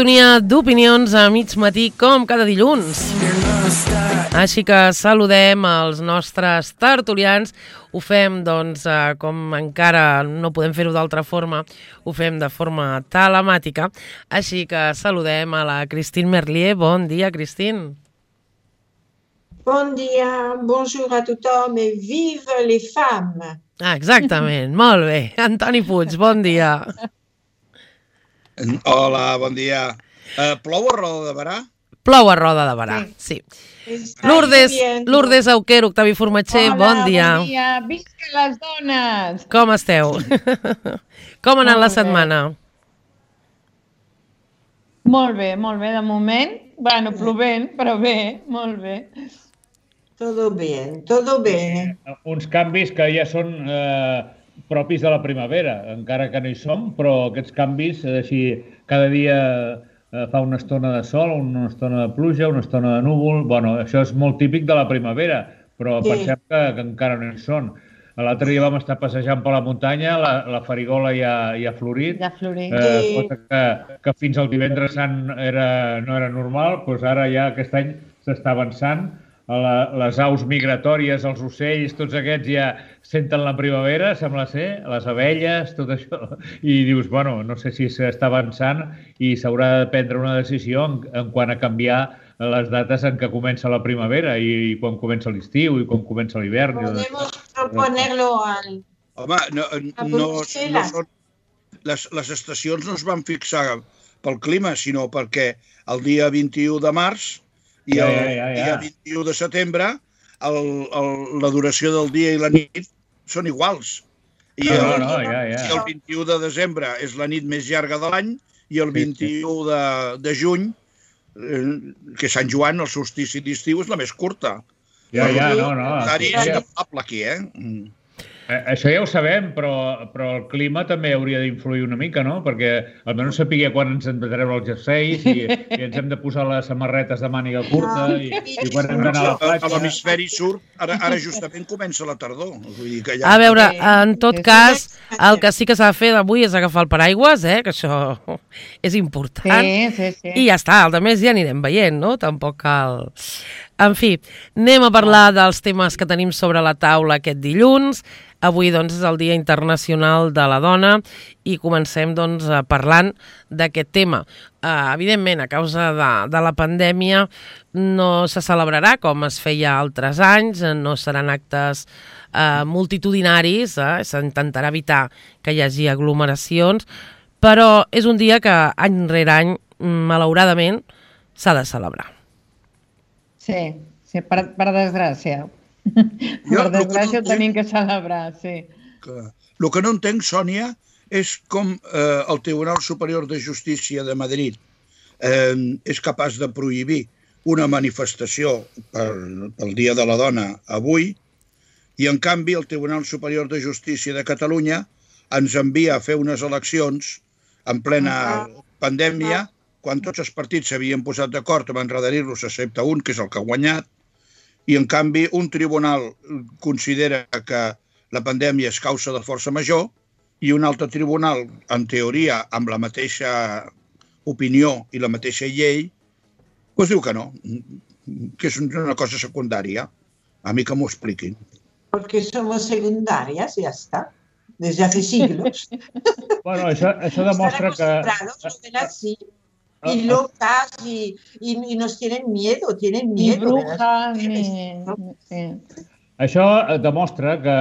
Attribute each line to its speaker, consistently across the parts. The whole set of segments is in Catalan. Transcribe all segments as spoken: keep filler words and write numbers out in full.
Speaker 1: sintonia d'opinions a mig matí, com cada dilluns. Així que saludem els nostres tertulians. Ho fem, doncs, com encara no podem fer-ho d'altra forma, ho fem de forma telemàtica. Així que saludem a la Christine Merlier. Bon dia, Christine.
Speaker 2: Bon dia, bonjour a tothom et vive les femmes.
Speaker 1: Ah, exactament, molt bé. Antoni Puig, bon dia.
Speaker 3: Hola, bon dia. Uh, plou a Roda de Berà?
Speaker 1: Plou a Roda de Berà, sí. sí. Lourdes, Lourdes Auquer, Octavi Formatger,
Speaker 4: Hola,
Speaker 1: bon dia.
Speaker 4: bon dia. Visca les dones!
Speaker 1: Com esteu? Com ha anat la setmana?
Speaker 4: Molt bé, molt bé, de moment. Bueno, plovent, però bé, molt bé.
Speaker 2: Todo bien, todo bien.
Speaker 5: Eh, uns canvis que ja són eh, propis de la primavera, encara que no hi som, però aquests canvis, eh, així, cada dia eh, fa una estona de sol, una estona de pluja, una estona de núvol. Bueno, això és molt típic de la primavera, però sí. Pensem que, que encara no hi són. L'altre dia vam estar passejant per la muntanya, la, la farigola ja, ja ha florit,
Speaker 4: ja ha florit.
Speaker 5: Eh, sí. Cosa que, que fins al divendres sant era, no era normal, doncs ara ja aquest any s'està avançant. La, les aus migratòries, els ocells, tots aquests ja senten la primavera, sembla ser, les abelles, tot això. I dius, bueno, no sé si s'està avançant i s'haurà de prendre una decisió en, en quant a canviar les dates en què comença la primavera i, i quan comença l'estiu i quan comença l'hivern.
Speaker 2: Podemos proponerlo al...
Speaker 3: Home, no, no, no són... Les, les estacions no es van fixar pel clima, sinó perquè el dia vint-i-u de març i el ja, ja, ja, ja. dia vint-i-u de setembre el, el, la duració del dia i la nit són iguals. I el,
Speaker 5: no, no, ja, ja.
Speaker 3: el vint-i-u de desembre és la nit més llarga de l'any i el vint-i-u de, de juny, eh, que Sant Joan, el solstici d'estiu, és la més curta.
Speaker 5: Ja, ja, no, no.
Speaker 3: És inefable aquí, eh?
Speaker 5: Això ja ho sabem, però, però el clima també hauria d'influir una mica, no? Perquè almenys sapiguer quan ens hem de treure els jerseis i, i ens hem de posar les samarretes de màniga curta i, i quan hem d'anar a la platja.
Speaker 3: A l'hemisferi sud, ara, ara justament comença la tardor. Vull dir que ja...
Speaker 1: A veure, en tot cas, el que sí que s'ha de fer avui és agafar el paraigües, eh? Que això és important.
Speaker 4: Sí, sí, sí.
Speaker 1: I ja està, el de més ja anirem veient, no? Tampoc cal... En fi, anem a parlar dels temes que tenim sobre la taula aquest dilluns. Avui, doncs, és el Dia Internacional de la Dona i comencem, doncs, parlant d'aquest tema. Uh, evidentment, a causa de, de la pandèmia, no se celebrarà com es feia altres anys, no seran actes uh, multitudinaris, eh? S'intentarà evitar que hi hagi aglomeracions, però és un dia que any rere any, malauradament, s'ha de celebrar.
Speaker 4: Sí, sí, per, per desgràcia. Jo, per desgràcia ho tenim que celebrar, sí.
Speaker 3: El que no entenc, Sònia, és com eh, el Tribunal Superior de Justícia de Madrid eh, és capaç de prohibir una manifestació per, pel Dia de la Dona avui i, en canvi, el Tribunal Superior de Justícia de Catalunya ens envia a fer unes eleccions en plena pandèmia, quan tots els partits s'havien posat d'acord amb enrederir-los excepte un, que és el que ha guanyat, i en canvi un tribunal considera que la pandèmia és causa de força major i un altre tribunal, en teoria, amb la mateixa opinió i la mateixa llei, doncs diu que no, que és una cosa secundària. A mi que m'ho expliquin.
Speaker 2: Porque somos secundarias, ya está. Desde hace siglos.
Speaker 5: Bueno, això, això demostra que...
Speaker 2: Y locas, y, y, y nos tienen miedo, tienen miedo.
Speaker 4: Ni brujas, ni... Sí.
Speaker 5: Això demostra que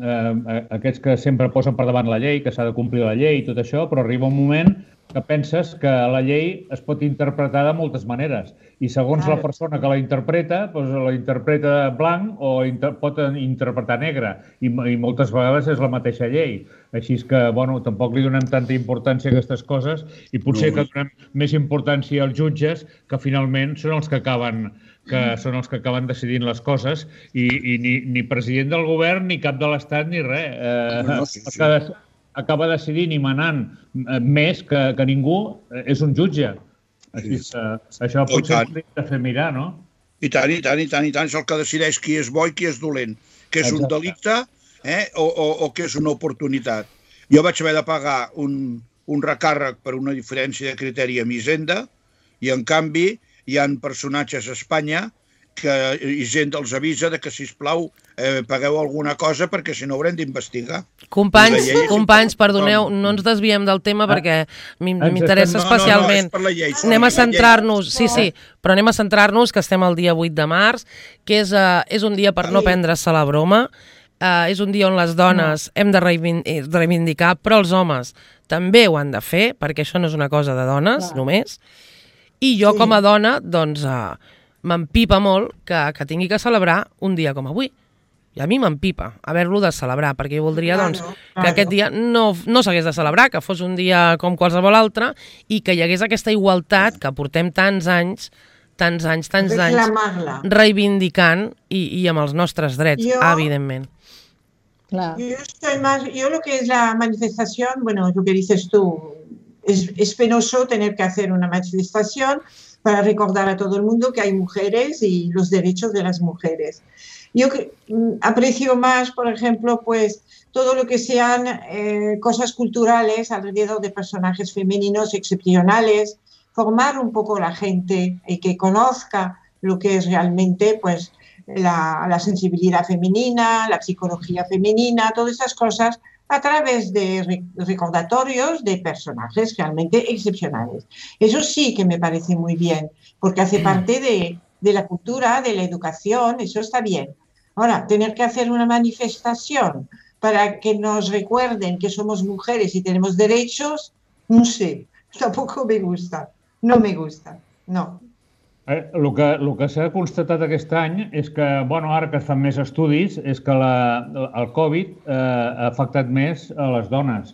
Speaker 5: eh, aquests que sempre posen per davant la llei, que s'ha de complir la llei i tot això, però arriba un moment que penses que la llei es pot interpretar de moltes maneres i segons la persona que la interpreta, doncs la interpreta blanc o inter pot interpretar negre i, i moltes vegades és la mateixa llei. Així és que, bueno, tampoc li donem tanta importància a aquestes coses i potser que donem més importància als jutges que finalment són els que acaben que són els que acaben decidint les coses i, i ni, ni president del govern ni cap de l'Estat ni res. Eh, no, sí, sí. Acaba, acaba decidint i manant més que, que ningú és un jutge. Així que això potser s'ha de fer mirar, no?
Speaker 3: I tant, i tant, i tant, i tant. És el que decideix qui és bo i qui és dolent. Que és un delicte eh? o, o, o que és una oportunitat. Jo vaig haver de pagar un, un recàrrec per una diferència de criteri amb Hisenda, i en canvi hi ha personatges a Espanya que Hisenda els avisa de que, sisplau, eh, pagueu alguna cosa perquè si no haurem d'investigar.
Speaker 1: Companys, companys, perdoneu, no ens desviem del tema perquè m'interessa especialment.
Speaker 3: No, no, no, és per la llei.
Speaker 1: Anem a centrar-nos, sí, sí, però anem a centrar-nos que estem el dia vuit de març, que és, uh, és un dia per no prendre-se la broma, uh, és un dia on les dones hem de reivindicar, però els homes també ho han de fer, perquè això no és una cosa de dones, només. I jo, com a dona, doncs... Uh, m'empipa molt que, que tingui que celebrar un dia com avui. I a mi m'empipa haver-lo de celebrar, perquè jo voldria doncs, claro, claro. que aquest dia no, no s'hagués de celebrar, que fos un dia com qualsevol altre i que hi hagués aquesta igualtat que portem tants anys, tants anys, tants anys reivindicant i, i amb els nostres drets, yo, evidentment.
Speaker 2: Claro. Yo, estoy más, yo lo que es la manifestación, bueno, lo que dices tú, es, es penoso tener que hacer una manifestación para recordar a todo el mundo que hay mujeres y los derechos de las mujeres. Yo aprecio más, por ejemplo, pues todo lo que sean eh, cosas culturales alrededor de personajes femeninos excepcionales, formar un poco la gente y que conozca lo que es realmente pues la, la sensibilidad femenina, la psicología femenina, todas esas cosas a través de recordatorios de personajes realmente excepcionales. Eso sí que me parece muy bien, porque hace parte de, de la cultura, de la educación, eso está bien. Ahora, tener que hacer una manifestación para que nos recuerden que somos mujeres y tenemos derechos, no sé, tampoco me gusta, no me gusta, no.
Speaker 5: Eh, el que, el que s'ha constatat aquest any és que, bueno, ara que es fan més estudis, és que la, el Covid eh, ha afectat més a les dones,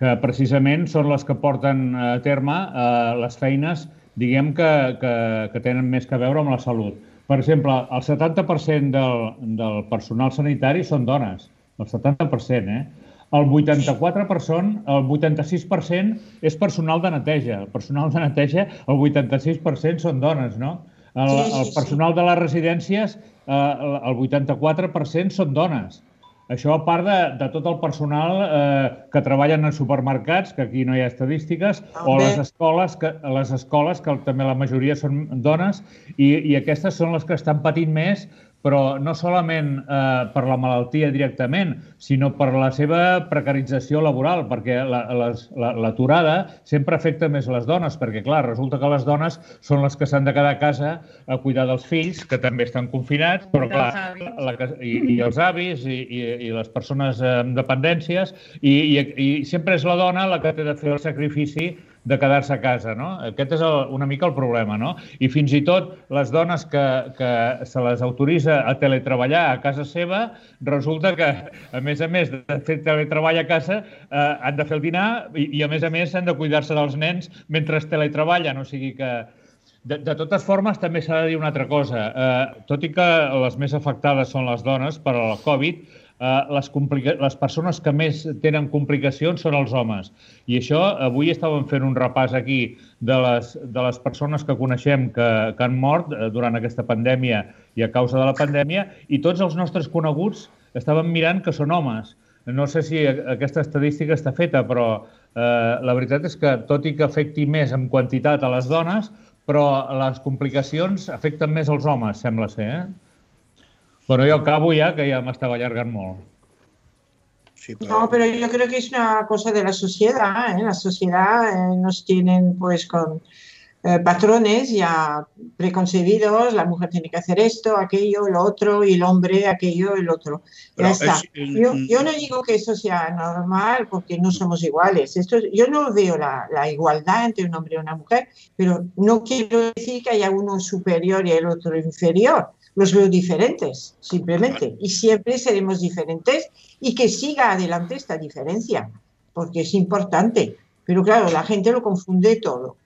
Speaker 5: que precisament són les que porten a terme eh, les feines, diguem, que, que, que tenen més que veure amb la salut. Per exemple, el setanta per cent del, del personal sanitari són dones, el setanta per cent, eh? El vuitanta-quatre per cent, el vuitanta-sis per cent és personal de neteja. El personal de neteja, el vuitanta-sis per cent són dones, no? El, sí, sí, el personal sí. de les residències, eh, el vuitanta-quatre per cent són dones. Això a part de, de tot el personal eh, que treballen en supermercats, que aquí no hi ha estadístiques, o les escoles, que, les escoles, que també la majoria són dones, i, i aquestes són les que estan patint més, però no solament eh, per la malaltia directament, sinó per la seva precarització laboral, perquè l'aturada la, la, sempre afecta més les dones, perquè, clar, resulta que les dones són les que s'han de quedar a casa a cuidar dels fills, que també estan confinats, però, clar, la, i, i els avis i, i, i les persones amb dependències, i, i, i sempre és la dona la que té de fer el sacrifici de quedar-se a casa, no? Aquest és el, una mica el problema, no? I fins i tot les dones que, que se les autoritza a teletreballar a casa seva, resulta que, a més a més de fer teletreball a casa, eh, han de fer el dinar i, i a més a més han de cuidar-se dels nens mentre teletreballen, o sigui que... De, de totes formes, també s'ha de dir una altra cosa. Eh, tot i que les més afectades són les dones per al Covid, Uh, les, les persones que més tenen complicacions són els homes. I això, avui estàvem fent un repàs aquí de les, de les persones que coneixem que, que han mort durant aquesta pandèmia i a causa de la pandèmia, i tots els nostres coneguts estàvem mirant que són homes. No sé si aquesta estadística està feta, però eh, la veritat és que, tot i que afecti més en quantitat a les dones, però les complicacions afecten més als homes, sembla ser, eh? Bueno, yo acabo ya, que ya me estaba alargando mucho.
Speaker 2: Sí, pero... No, pero yo creo que es una cosa de la sociedad, ¿eh? La sociedad eh, nos tienen pues con eh, patrones ya preconcebidos, la mujer tiene que hacer esto, aquello, lo otro, y el hombre aquello, el otro. Ya está. Es... Yo, yo no digo que eso sea normal porque no somos iguales. Esto, yo no veo la, la igualdad entre un hombre y una mujer, pero no quiero decir que haya uno superior y el otro inferior. Los veo diferentes, simplemente, y siempre seremos diferentes y que siga adelante esta diferencia, porque es importante. Però, clar, la gent lo confunde todo.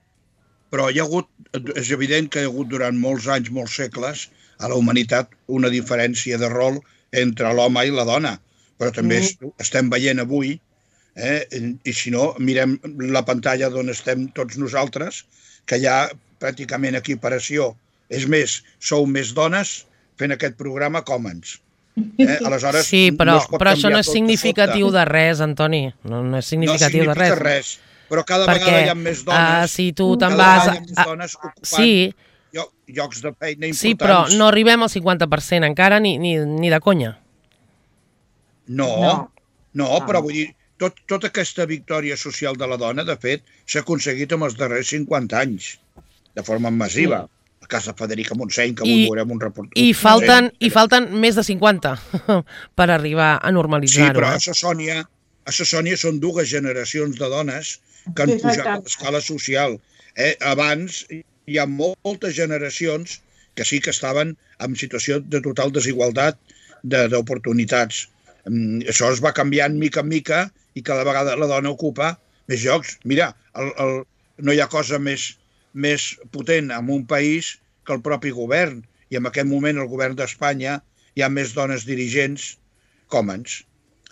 Speaker 3: Però hi ha hagut, és evident que hi ha hagut durant molts anys, molts segles, a la humanitat una diferència de rol entre l'home i la dona. Però també mm. estem veient avui, eh, i si no, mirem la pantalla d'on estem tots nosaltres, que hi ha pràcticament equiparació. És més, sou més dones fent aquest programa que homes. Eh? Aleshores,
Speaker 1: sí, però, no però això no és significatiu de res, Antoni. No, no és significatiu
Speaker 3: no
Speaker 1: de res.
Speaker 3: res. Però cada
Speaker 1: perquè,
Speaker 3: vegada hi ha més dones.
Speaker 1: Uh, si tu te'n
Speaker 3: cada
Speaker 1: vas...
Speaker 3: vegada hi ha més dones ocupant
Speaker 1: sí,
Speaker 3: llocs de feina importants.
Speaker 1: sí, però no arribem al cinquanta per cent encara ni, ni, ni de conya.
Speaker 3: No, no, no però vull dir, tot, tota aquesta victòria social de la dona, de fet, s'ha aconseguit en els darrers cinquanta anys, de forma massiva. Sí. A casa Federica Montseny, que avui veurem un reportatge.
Speaker 1: I falten, I falten més de cinquanta per arribar a normalitzar-ho.
Speaker 3: Sí, però
Speaker 1: eh?
Speaker 3: a Sassònia, a Sassònia són dues generacions de dones que han pujat a l'escala social. Eh? Abans hi ha moltes generacions que sí que estaven en situació de total desigualtat d'oportunitats. Això es va canviant mica en mica i cada vegada la dona ocupa més llocs. Mira, el, el, no hi ha cosa més, més potent en un país que el propi govern. I en aquest moment el govern d'Espanya hi ha més dones dirigents com ens.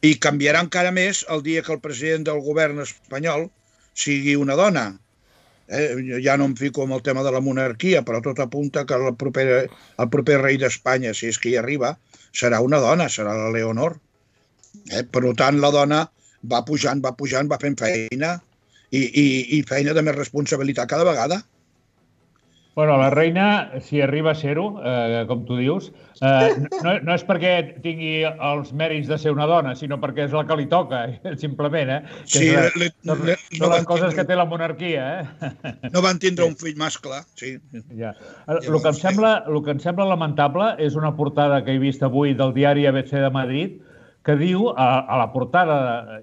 Speaker 3: I canviarà encara més el dia que el president del govern espanyol sigui una dona. Eh, ja no em fico amb el tema de la monarquia, però tot apunta que el proper, el proper rei d'Espanya, si és que hi arriba, serà una dona, serà la Leonor. Eh, per tant, la dona va pujant, va pujant, va fent feina i, i, i feina de més responsabilitat cada vegada.
Speaker 5: Bueno, la reina, si arriba a ser-ho, eh, com tu dius, eh, no, no és perquè tingui els mèrits de ser una dona, sinó perquè és la que li toca, simplement, eh? Que
Speaker 3: sí,
Speaker 5: la,
Speaker 3: le,
Speaker 5: són,
Speaker 3: le,
Speaker 5: són
Speaker 3: no
Speaker 5: les coses tindre, que té la monarquia, eh?
Speaker 3: No van tindre un fill mascle, sí.
Speaker 5: Ja. El, el, que em sembla, el que em sembla lamentable és una portada que he vist avui del diari A B C de Madrid, que diu, a, a la portada,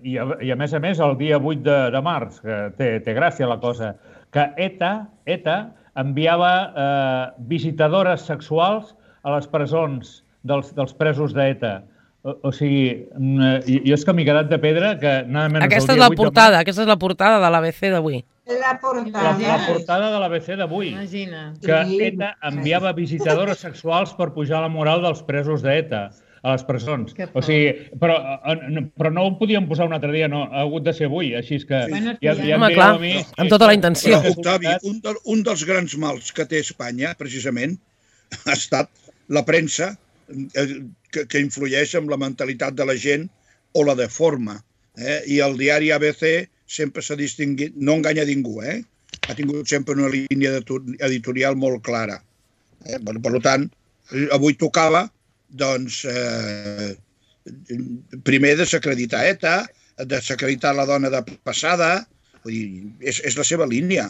Speaker 5: i a, i a més a més el dia vuit de, de març, que té, té gràcia la cosa, que ETA, ETA enviava eh, visitadores sexuals a les presons dels, dels presos d'ETA. O, o sigui, jo és que m'he quedat de pedra que nada menys
Speaker 1: aquesta és la portada, aquesta és la portada de l'A B C d'avui.
Speaker 2: La portada.
Speaker 5: La, la portada de l'A B C d'avui.
Speaker 4: Imagina.
Speaker 5: Que ETA enviava visitadores sexuals per pujar la moral dels presos d'ETA a les presons. O sigui, però, però no ho podíem posar un altre dia, no, ha hagut de ser avui, així és que...
Speaker 4: Sí.
Speaker 5: Ja, ja
Speaker 1: Home, clar, mi, amb tota la intenció.
Speaker 3: Però, Octavi, un, de, un dels grans mals que té Espanya, precisament, ha estat la premsa que, que influeix en la mentalitat de la gent o la deforma. Eh? I el diari A B C sempre s'ha distingit, no enganya ningú, eh? Ha tingut sempre una línia editorial molt clara. Eh? Per, per tant, avui tocava doncs, eh, primer desacreditar ETA, desacreditar la dona de passada, vull dir, és, és la seva línia.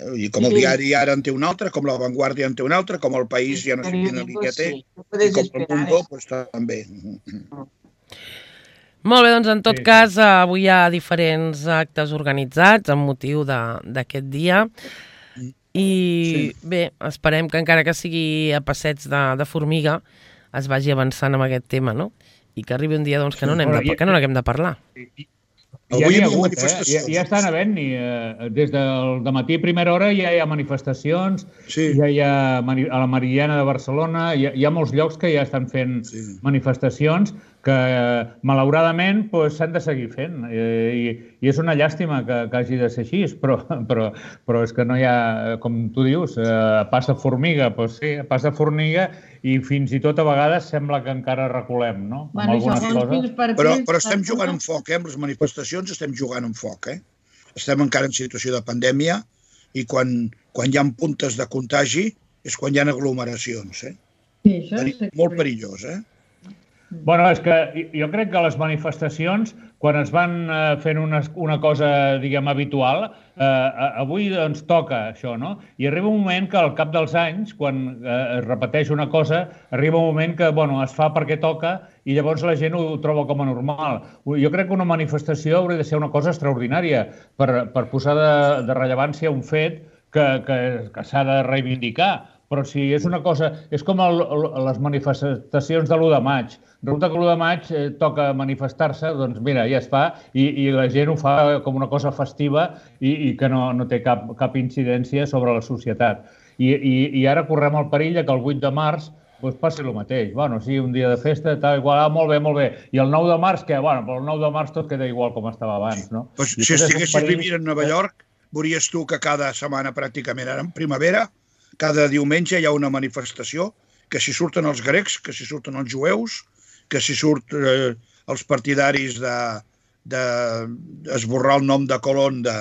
Speaker 3: Vull dir, com el diari ara en té una altra, com la Vanguardia en té una altra, com el País ja no sé quina línia té, i com el Mundo, doncs també.
Speaker 1: Molt bé, doncs en tot sí. cas, avui hi ha diferents actes organitzats amb motiu d'aquest dia. I sí. bé, esperem que encara que sigui a passets de, de formiga es vagi avançant amb aquest tema, no? I que arribi un dia doncs, que no n'haguem de, que no n'haguem de parlar.
Speaker 5: Ja n'hi ha hagut, eh? Ja, ja estan havent-hi. Eh, des del dematí a primera hora ja hi ha manifestacions, sí. ja hi ha a la Meridiana de Barcelona, hi ha, hi ha molts llocs que ja estan fent sí. manifestacions que, malauradament, pues, s'han de seguir fent. Eh, i, I és una llàstima que, que hagi de ser així, però, però, però és que no hi ha, com tu dius, eh, passa formiga, pues sí, passa formiga, i fins i tot a vegades sembla que encara reculem, no?
Speaker 4: Bueno,
Speaker 5: algunes
Speaker 4: coses.
Speaker 3: Però, però estem jugant un foc, eh? Amb les manifestacions estem jugant un foc, eh? Estem encara en situació de pandèmia i quan, quan hi ha puntes de contagi és quan hi ha aglomeracions, eh?
Speaker 4: Sí, això és
Speaker 3: molt perillós, eh?
Speaker 5: Bueno, és que jo crec que les manifestacions, quan es van fent una, una cosa, diguem, habitual, eh, avui doncs toca això, no? I arriba un moment que al cap dels anys, quan eh, es repeteix una cosa, arriba un moment que, bueno, es fa perquè toca i llavors la gent ho troba com a normal. Jo crec que una manifestació hauria de ser una cosa extraordinària per, per posar de, de rellevància un fet que, que, que s'ha de reivindicar. Però si és una cosa... És com el, el, les manifestacions de l'u de maig. Resulta que l'u de maig eh, toca manifestar-se, doncs mira, ja es fa, i, i la gent ho fa com una cosa festiva i, i que no, no té cap, cap incidència sobre la societat. I, i, i ara correm el perill que el vuit de març doncs passi el mateix. Bueno, sí, un dia de festa, tal, igual, ah, molt bé, molt bé. I el nou de març, què? Bueno, però el nou de març tot queda igual com estava abans, no?
Speaker 3: Pues, si estiguessis perill... vivint a Nova York, veuries tu que cada setmana pràcticament, ara en primavera, cada diumenge hi ha una manifestació, que si surten els grecs, que si surten els jueus, que si surten eh, els partidaris de, d'esborrar el nom de Colón de,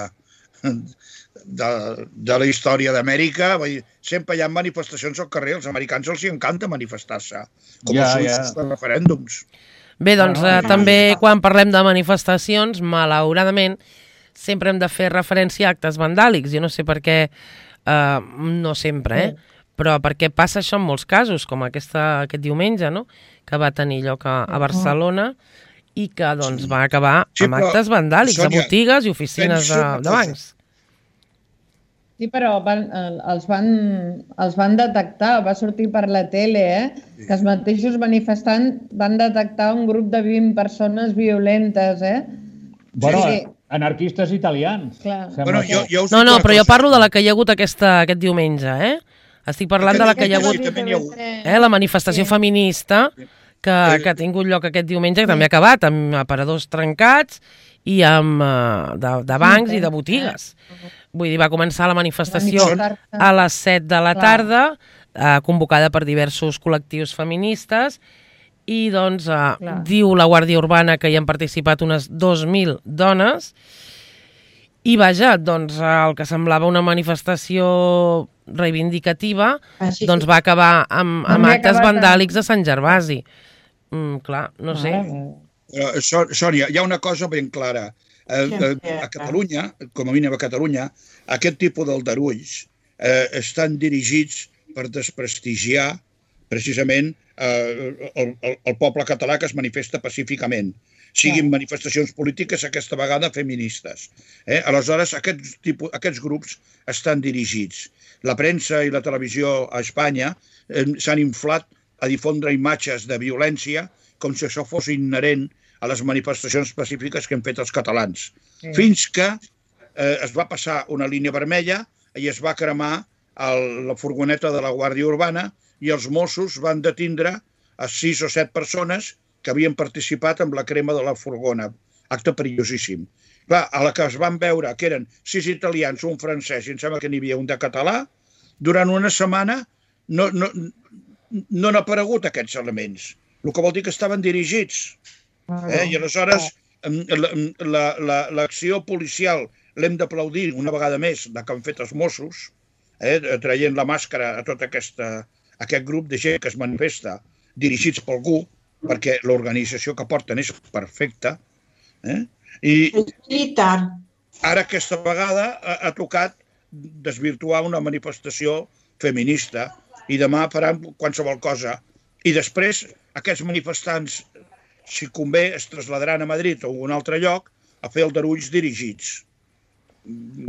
Speaker 3: de, de la història d'Amèrica. Sempre hi ha manifestacions al carrer, als americans els encanta manifestar-se, com
Speaker 5: Ja,
Speaker 3: els
Speaker 5: ja.
Speaker 3: seus referèndums.
Speaker 1: Bé, doncs
Speaker 5: Ah,
Speaker 1: eh, també quan parlem de manifestacions, malauradament, sempre hem de fer referència a actes vandàlics. Jo no sé per què, eh, no sempre, eh? Però perquè passa això en molts casos, com aquesta, aquest diumenge, no? Que va tenir lloc a, a Barcelona i que doncs, va acabar
Speaker 3: Sí,
Speaker 1: amb
Speaker 3: però,
Speaker 1: actes vandàlics,
Speaker 3: Sònia,
Speaker 1: a botigues i oficines
Speaker 3: penso
Speaker 1: de,
Speaker 3: una
Speaker 1: de
Speaker 3: cosa.
Speaker 1: bancs.
Speaker 4: Sí, però van, els, van, els van detectar, va sortir per la tele, eh? Que els mateixos manifestants van detectar un grup de vint persones violentes, eh?
Speaker 5: Bueno,
Speaker 4: Sí.
Speaker 5: anarquistes italians.
Speaker 4: Clar.
Speaker 5: Sembla
Speaker 3: Bueno,
Speaker 5: que-
Speaker 3: jo, jo us
Speaker 1: No,
Speaker 3: dic
Speaker 1: no,
Speaker 3: una
Speaker 1: però jo
Speaker 3: cosa.
Speaker 1: parlo de la que hi ha hagut aquesta, aquest diumenge, eh? Estic parlant de la que hi ha
Speaker 3: Aquest
Speaker 1: hagut,
Speaker 3: sí, també n'hi ha hagut.
Speaker 1: eh? La manifestació
Speaker 4: Sí.
Speaker 1: feminista que, que ha tingut lloc aquest diumenge, que també ha acabat amb aparadors trencats i amb uh, de, de bancs i de botigues. Vull dir, va començar la manifestació
Speaker 4: Manifestar-se.
Speaker 1: a les set de la
Speaker 4: Clar.
Speaker 1: tarda, eh, convocada per diversos col·lectius feministes, i doncs eh,
Speaker 4: Clar.
Speaker 1: diu la Guàrdia Urbana que hi han participat unes dos mil dones, i vaja, doncs el que semblava una manifestació reivindicativa,
Speaker 2: Així
Speaker 1: doncs va acabar amb, amb
Speaker 4: També ha
Speaker 1: actes
Speaker 4: acabat amb-
Speaker 1: vandàlics a Sant Gervasi. Mm, clar, no sé.
Speaker 4: Mare meva.
Speaker 3: Uh, Sònia, hi ha una cosa ben clara. Uh,
Speaker 2: Sí,
Speaker 3: uh,
Speaker 2: sí,
Speaker 3: a Catalunya, com a mínim a Catalunya, aquest tipus d'aldarulls uh, estan dirigits per desprestigiar precisament uh, el, el, el poble català que es manifesta pacíficament. Siguin
Speaker 4: Clar.
Speaker 3: manifestacions polítiques, aquesta vegada feministes. Eh? Aleshores, aquests, tipus, aquests grups estan dirigits. La premsa i la televisió a Espanya eh, s'han inflat a difondre imatges de violència com si això fos inherent a les manifestacions pacífiques que hem fet els catalans.
Speaker 4: Sí.
Speaker 3: Fins que eh, es va passar una línia vermella i es va cremar el, la furgoneta de la Guàrdia Urbana i els Mossos van detindre a sis o set persones que havien participat en la crema de la furgona. Acte perillosíssim. Clar, a la que es van veure que eren sis italians, un francès i em sembla que n'hi havia un de català, durant una setmana no, no, no han aparegut aquests elements. El que vol dir que estaven dirigits. Eh? I aleshores l'acció policial l'hem d'aplaudir una vegada més, la que han fet els Mossos, eh? traient la màscara a tot aquesta, aquest grup de gent que es manifesta dirigits per algú, perquè l'organització que porten és perfecta. Eh? I
Speaker 2: Militar.
Speaker 3: ara aquesta vegada ha, ha tocat desvirtuar una manifestació feminista i demà faran qualsevol cosa. I després aquests manifestants, si convé, es trasladaran a Madrid o a un altre lloc a fer aldarulls dirigits.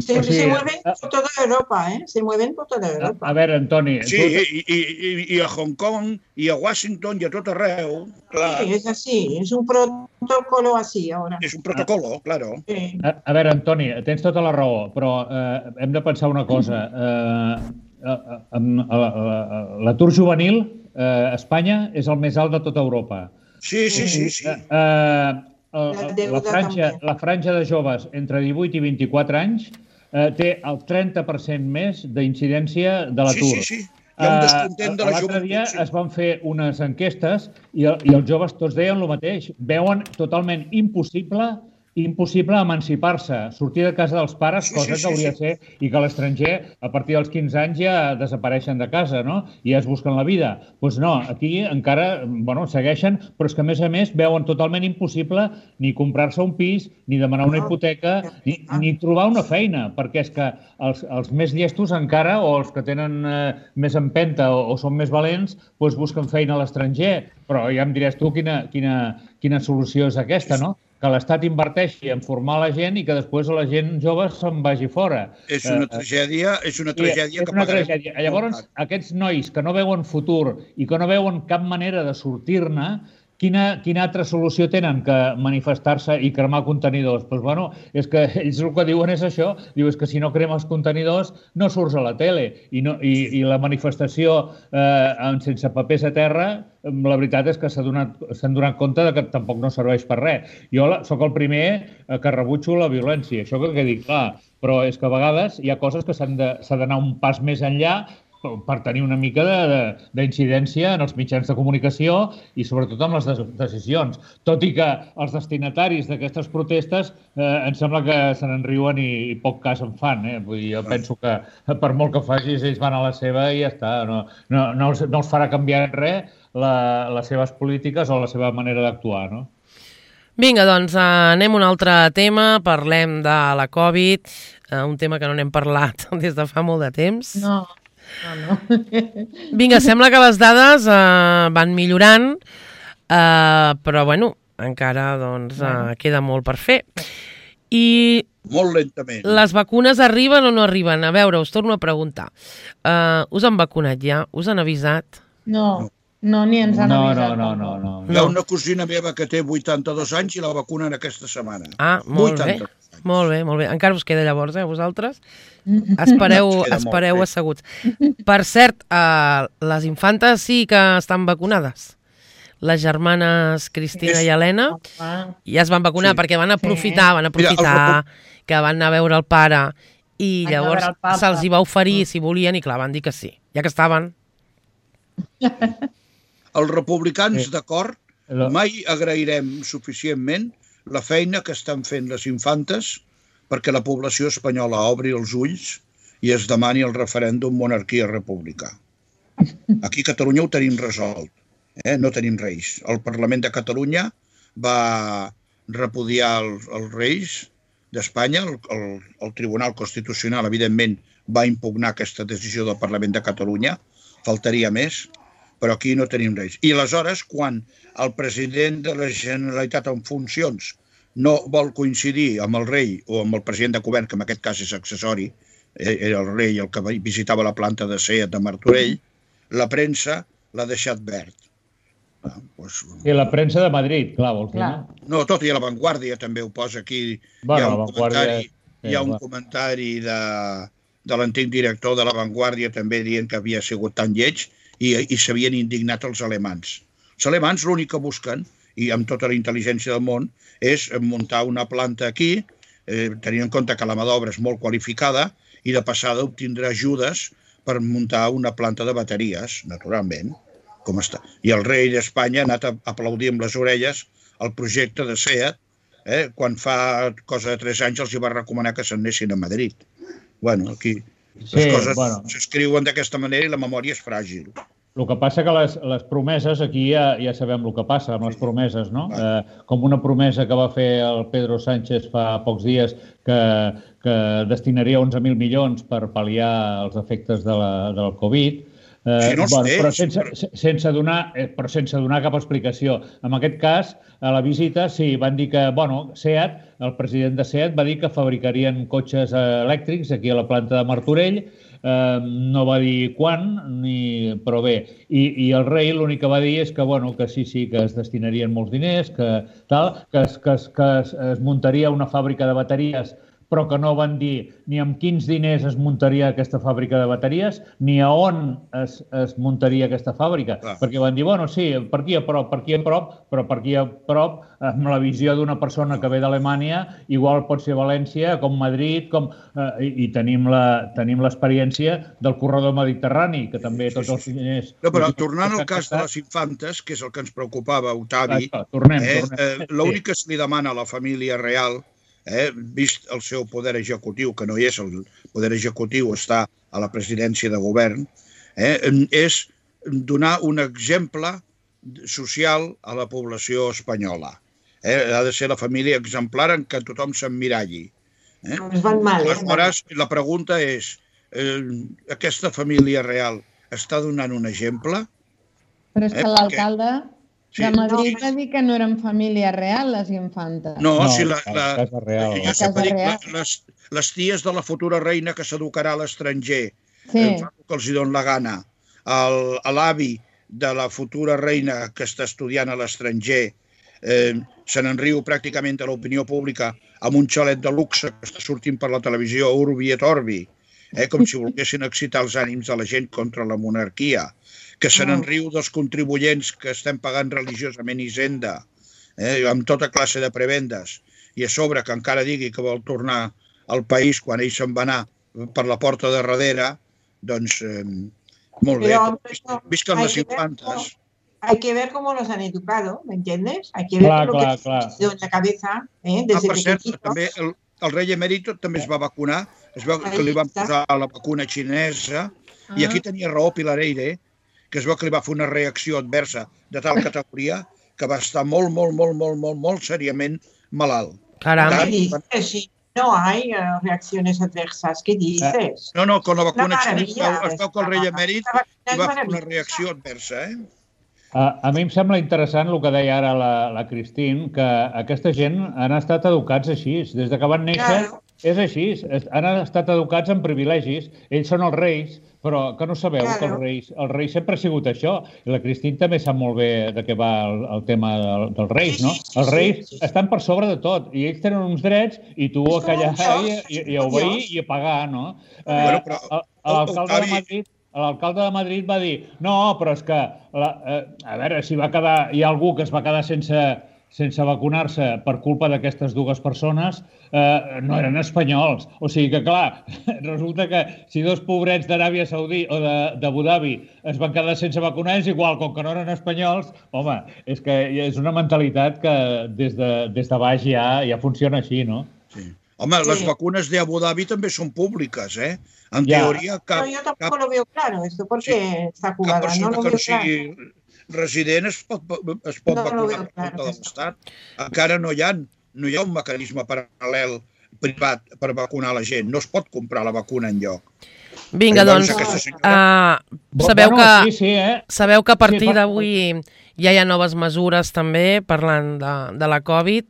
Speaker 2: Se,
Speaker 5: O sigui,
Speaker 2: se mueven
Speaker 5: a-
Speaker 2: por toda Europa, ¿eh? Se mueven por toda
Speaker 5: A,
Speaker 2: Europa.
Speaker 5: a veure, Antoni,
Speaker 3: Sí,
Speaker 5: tu,
Speaker 3: i, i, i, i a Hong Kong, i a Washington, i a tot arreu. Clar,
Speaker 2: Sí, es así, es un protocolo así ahora.
Speaker 3: és un protocolo, claro.
Speaker 2: Sí.
Speaker 5: a, a veure, Antoni, tens tota la raó, però eh, hem de pensar una cosa. Eh, eh, amb- eh, eh, L'atur juvenil eh, a Espanya és el més alt de tota Europa.
Speaker 3: Sí, sí, sí, sí.
Speaker 5: Eh, eh,
Speaker 2: La
Speaker 5: la,
Speaker 2: deuda
Speaker 5: franja,
Speaker 2: també.
Speaker 5: la franja de joves entre divuit i vint-i-quatre anys eh, té el trenta per cent més d'incidència de
Speaker 3: Sí,
Speaker 5: l'atur.
Speaker 3: sí, sí. Hi ha un
Speaker 5: Eh,
Speaker 3: descontent de la
Speaker 5: L'altre dia
Speaker 3: joventut. Sí.
Speaker 5: es van fer unes enquestes i, el- i els joves tots deien el mateix. Veuen totalment impossible impossible emancipar-se, sortir de casa dels pares,
Speaker 3: Sí,
Speaker 5: cosa
Speaker 3: sí,
Speaker 5: que hauria de
Speaker 3: sí,
Speaker 5: ser, i que a l'estranger, a partir dels quinze anys, ja desapareixen de casa, no? I ja es busquen la vida. Doncs pues no, aquí encara, bueno, segueixen, però és que, a més a més, veuen totalment impossible ni comprar-se un pis, ni demanar una hipoteca, ni, ni trobar una feina, perquè és que els, els més llestos encara, o els que tenen eh, més empenta o, o són més valents, doncs busquen feina a l'estranger. Però ja em diràs tu quina, quina, quina solució és aquesta, no? Que l'Estat inverteixi en formar la gent i que després la gent jove se'n vagi fora.
Speaker 3: És una
Speaker 5: Eh,
Speaker 3: tragèdia, és una
Speaker 5: i
Speaker 3: tragèdia
Speaker 5: és
Speaker 3: que
Speaker 5: una
Speaker 3: pagarem
Speaker 5: tragèdia.
Speaker 3: molt
Speaker 5: Llavors,
Speaker 3: car.
Speaker 5: aquests nois que no veuen futur i que no veuen cap manera de sortir-ne, quina, quina altra solució tenen que manifestar-se i cremar contenidors? Doncs, bueno, és que ells el que diuen és això, diu, és que si no cremes contenidors no surts a la tele i, no, i, i la manifestació eh, sense papers a terra, la veritat és que s'han donat, s'han donat compte de que tampoc no serveix per res. Jo la, sóc el primer eh, que rebutjo la violència, això que quedi clar, però és que a vegades hi ha coses que s'han de- s'ha d'anar un pas més enllà per tenir una mica d'incidència en els mitjans de comunicació i sobretot amb les decisions. Tot i que els destinataris d'aquestes protestes eh, em sembla que se n'en riuen i, i poc cas en fan. Eh? Vull dir, jo penso que per molt que facis ells van a la seva i ja està. No, no, no, els, no els farà canviar res la, les seves polítiques o la seva manera d'actuar, no?
Speaker 1: Vinga, doncs anem a un altre tema, parlem de la Covid, un tema que no n'hem parlat des de fa molt de temps.
Speaker 4: No, no, no.
Speaker 1: Vinga, sembla que les dades eh, van millorant, eh, però bueno, encara doncs, eh, queda molt per fer. I
Speaker 3: molt lentament.
Speaker 1: Les vacunes arriben o no arriben? A veure, us torno a preguntar. Uh, us han vacunat ja? Us han avisat?
Speaker 4: No. no. No, ni ens han
Speaker 5: no,
Speaker 4: avisat.
Speaker 5: No, no, no, no.
Speaker 3: Hi ha una cosina meva que té vuitanta-dos anys i la vacunen aquesta setmana.
Speaker 1: Ah, molt bé. Molt bé, molt bé. Encara us queda llavors, eh, vosaltres? Espereu, espereu asseguts. Per cert, uh, les infantes sí que estan vacunades. Les germanes Cristina i Helena ja es van vacunar perquè van aprofitar, van aprofitar que van anar a veure el pare i llavors se'ls hi va oferir si volien i clar, van dir que sí, ja que estaven.
Speaker 3: Els republicans, d'acord, mai agrairem suficientment la feina que estan fent les infantes perquè la població espanyola obri els ulls i es demani el referèndum monarquia-república. Aquí a Catalunya ho tenim resolt, eh? No tenim reis. El Parlament de Catalunya va repudiar els, els reis d'Espanya, el, el, el Tribunal Constitucional, evidentment, va impugnar aquesta decisió del Parlament de Catalunya, faltaria més, però aquí no tenim reis. I aleshores, quan el president de la Generalitat en funcions no vol coincidir amb el rei o amb el president de govern, que en aquest cas és accessori, era el rei el que visitava la planta de Seat de Martorell, la premsa l'ha deixat verd.
Speaker 5: Ah, doncs... I la premsa de Madrid, clar, vols dir, no?
Speaker 3: No, tot, i a La Vanguardia també ho posa aquí. Bueno, hi ha un comentari, hi ha un comentari de, de l'antic director de La Vanguardia també dient que havia sigut tan lleig i, i s'havien indignat els alemans. Els alemans l'únic que busquen, i amb tota la intel·ligència del món, és muntar una planta aquí, eh, tenint en compte que la mà d'obra és molt qualificada, i de passada obtindrà ajudes per muntar una planta de bateries, naturalment, com està. I el rei d'Espanya ha anat a aplaudir amb les orelles el projecte de Seat, eh, quan fa cosa de tres anys els hi va recomanar que se'n anessin a Madrid. Bueno, aquí les sí, coses bueno. s'escriuen d'aquesta manera i la memòria és fràgil.
Speaker 5: El que passa que les, les promeses, aquí ja, ja sabem el que passa amb les promeses, no? Eh, com una promesa que va fer el Pedro Sánchez fa pocs dies que, que destinaria onze mil milions per pal·liar els efectes de la, del Covid, eh,
Speaker 3: sí, no
Speaker 5: bueno, però, sense, sense donar, eh, però sense donar cap explicació. En aquest cas, a la visita, sí, van dir que, bueno, Seat, el president de Seat va dir que fabricarien cotxes elèctrics aquí a la planta de Martorell. Eh, no va dir quan, ni... però bé, i, i el rei l'únic que va dir és que, bueno, que sí, sí, que es destinarien molts diners, que tal, que, es, que, es, que es, es muntaria una fàbrica de bateries, però que no van dir ni amb quins diners es muntaria aquesta fàbrica de bateries, ni a on es, es muntaria aquesta fàbrica. Ah. Perquè van dir, bueno, sí, per aquí a prop, per aquí a prop, però per aquí a prop, amb la visió d'una persona que ve d'Alemanya, igual pot ser València, com Madrid, com, eh, i, i tenim la, tenim l'experiència del corredor mediterrani, que també sí, tots els diners...
Speaker 3: No, però tornant al cas de les infantes, que és el que ens preocupava, Octavi,
Speaker 5: Això, tornem,
Speaker 3: eh,
Speaker 5: tornem.
Speaker 3: Eh, l'únic que se li demana a la família real, Eh, vist el seu poder executiu, que no hi és, el poder executiu està a la presidència de govern, eh, és donar un exemple social a la població espanyola. Eh, ha de ser la família exemplar en què tothom s'emmiralli.
Speaker 2: Eh? Es van mal, eh?
Speaker 3: Aleshores, la pregunta és, eh, aquesta família real està donant un exemple?
Speaker 4: Però és que eh, l'alcalde... Sí. De Madrid va dir que no eren família real, les infantes.
Speaker 3: No, no si la, la, la casa real. Jo sempre dic, la, les, les ties de la futura reina que s'educarà a l'estranger, sí. eh, que els hi don la gana, l'avi de la futura reina que està estudiant a l'estranger, eh, se n'enriu pràcticament a l'opinió pública amb un xalet de luxe que està sortint per la televisió Urbi et Orbi, eh, com si volguessin excitar els ànims de la gent contra la monarquia, que se n'enriu dels contribuents que estem pagant religiosament Hisenda, eh, amb tota classe de prebendes, i a sobre que encara digui que vol tornar al país quan ell se'n va anar per la porta de darrere, doncs eh, Molt bé,
Speaker 2: Pero,
Speaker 3: visquen
Speaker 2: hay
Speaker 3: les
Speaker 2: que ver cómo-
Speaker 3: infantes.
Speaker 2: Hay que ver cómo los han educado, ¿me entiendes? Hay que ver
Speaker 5: Clar,
Speaker 2: lo
Speaker 5: clar,
Speaker 2: que
Speaker 5: clar.
Speaker 2: les han metido en la cabeza, ¿eh?
Speaker 3: Ah,
Speaker 2: Desde
Speaker 3: per cert,
Speaker 2: pequeñitos.
Speaker 3: també el, el rei emèrito també es va vacunar, es veu que
Speaker 2: Ahí
Speaker 3: li van
Speaker 2: està.
Speaker 3: posar la vacuna xinesa, i
Speaker 4: Ah.
Speaker 3: aquí tenia raó Pilareire, que es veu que li va fer una reacció adversa de tal categoria que va estar molt, molt, molt, molt, molt, molt seriament malalt.
Speaker 1: Caram.
Speaker 2: ¿Qué
Speaker 3: Claro.
Speaker 2: dices? Si no hay eh, reacciones adversas, ¿qué dices?
Speaker 3: No, no, con la vacuna
Speaker 2: Una
Speaker 3: xinesa es
Speaker 2: maravilla,
Speaker 3: veu, es veu que el rei emèrit
Speaker 2: Esta vacuna
Speaker 3: li
Speaker 2: es
Speaker 3: va fer una
Speaker 2: maravillosa.
Speaker 3: reacció adversa, eh?
Speaker 5: A, a mi em sembla interessant el que deia ara la, la Christine, que aquesta gent han estat educats així. Des de que van néixer
Speaker 2: Claro.
Speaker 5: és així. Es- Han estat educats amb privilegis. Ells són els reis, però que no sabeu
Speaker 2: Claro.
Speaker 5: que els reis, el rei sempre ha sigut això. I la Christine també sap molt bé de què va el, el tema del, dels reis,
Speaker 2: Sí,
Speaker 5: no?
Speaker 2: sí, sí,
Speaker 5: Els reis
Speaker 2: sí, sí.
Speaker 5: estan per sobre de tot i ells tenen uns drets i tu
Speaker 2: És
Speaker 5: a
Speaker 2: com
Speaker 5: callar
Speaker 2: un dios,
Speaker 5: i, i,
Speaker 2: és
Speaker 5: i
Speaker 2: com
Speaker 5: a
Speaker 2: un
Speaker 5: obeir
Speaker 2: dios.
Speaker 5: i a pagar, no?
Speaker 3: Bueno,
Speaker 5: Eh,
Speaker 3: però
Speaker 5: el-
Speaker 3: el-
Speaker 5: L'alcalde de
Speaker 3: Octavi-
Speaker 5: Madrid L'alcalde de Madrid va dir no, però és que, la, eh, a veure, si va quedar, hi ha algú que es va quedar sense, sense vacunar-se per culpa d'aquestes dues persones, eh, no eren espanyols. O sigui que, clar, resulta que si dos pobrets d'Aràbia Saudí o de- d'Abu Dhabi es van quedar sense vacunar, és igual, com que no eren espanyols, home, és que és una mentalitat que des de, des de baix ja, ja funciona així, no?
Speaker 3: Sí. Home,
Speaker 2: Sí.
Speaker 3: les vacunes de Abu Dhabi també són públiques, eh? En
Speaker 5: Ja.
Speaker 3: teoria, cap,
Speaker 2: No, yo tampoco
Speaker 3: cap,
Speaker 2: lo veo claro esto, porque está
Speaker 3: cap
Speaker 2: jugada, no
Speaker 3: persona
Speaker 2: lo
Speaker 3: que
Speaker 2: veo
Speaker 3: no
Speaker 2: claro.
Speaker 3: sigui resident es pot, es pot
Speaker 2: No, no lo
Speaker 3: vacunar
Speaker 2: veo
Speaker 3: per
Speaker 2: claro,
Speaker 3: compte de
Speaker 2: eso.
Speaker 3: l'Estat. Encara no hi ha, no hi ha un mecanisme paral·lel privat per vacunar la gent. No es pot comprar la vacuna enlloc.
Speaker 1: Vinga,
Speaker 3: Llavors,
Speaker 1: doncs,
Speaker 3: aquesta senyora-
Speaker 1: uh, sabeu,
Speaker 5: Bueno,
Speaker 1: que,
Speaker 5: sí, sí, eh?
Speaker 1: sabeu que a partir
Speaker 5: Sí, per-
Speaker 1: d'avui ja hi ha noves mesures també, parlant de, de la Covid.